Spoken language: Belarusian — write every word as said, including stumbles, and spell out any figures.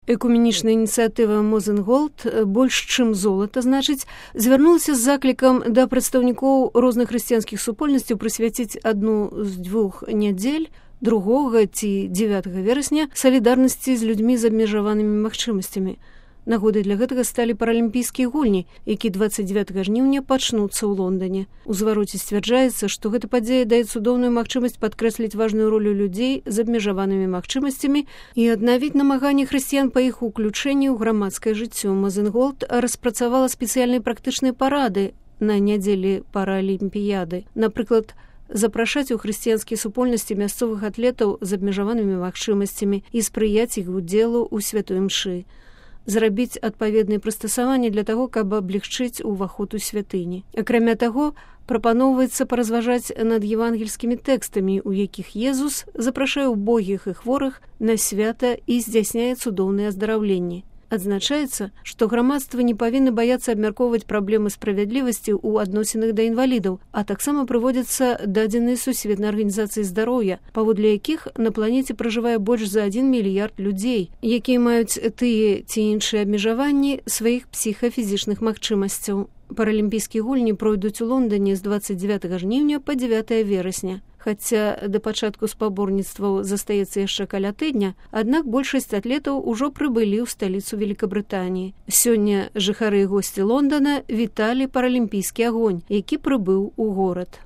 Экуменічная ініцыятыва Мозенголд больш чым золата, значыць, звярнулася з заклікам да прадстаўнікоў розных хрысціянскіх супольнасцяў прысвяціць адну з дзвюх нядзель другога ці дзевятага верасня салідарнасці з людзьмі з абмежаванымі магчымасцямі. Нагодай для гэтага сталі паралімпійскія гульні, які дваццаць дзевятага жніўня пачнуцца ў Лондане. У звароце сцвярджаецца, што гэта падзея дае цудоўную магчымасць падкрэсліць важную ролю людзей з абмежаванымі магчымасцямі і аднавіць намаганні хрысціян па іх уключэнні ў грамадскае жыццё. Мозенголд распрацавала спецыяльныя практычныя парады на нядзелі паралімпіяды. Напрыклад, запрашаць у хрысціянскія супольнасці мясцовых атлетаў з абмежаванымі магчымасцямі і спрыяць іх удзелу ў святой мшы. Зрабіць адпаведныя прыстасаванні для таго, каб аблегчыць уваход у святыні. Акрамя таго, прапаноўваецца паразважаць над евангельскімі тэкстамі, у якіх Езус запрашае убогіх і хворых на свята і здзяйсняе цудоўныя аздараўленні. Адзначаецца, што грамадства не павінна баяцца абмяркоўваць праблемы справядлівасці ў адносінах да інвалідаў, а таксама прыводзяцца дадзеныя Сусветнай арганізацыі здароўя, паводле якіх на планеце пражывае больш за адзін мільярд людзей, якія маюць тыя ці іншыя абмежаванні сваіх псіхафізічных магчымасцяў. Паралімпійскія гульні пройдуць у Лондане з дваццаць дзевятага жніўня па дзевятае верасня. Хаця да пачатку спаборніцтваў застаецца яшчэ каля тыдня, аднак большасць атлетаў ужо прыбылі ў сталіцу Великабрытаніі. Сёння жыхары і госці Лондана віталі паралімпійскі агонь, які прыбыў у горад.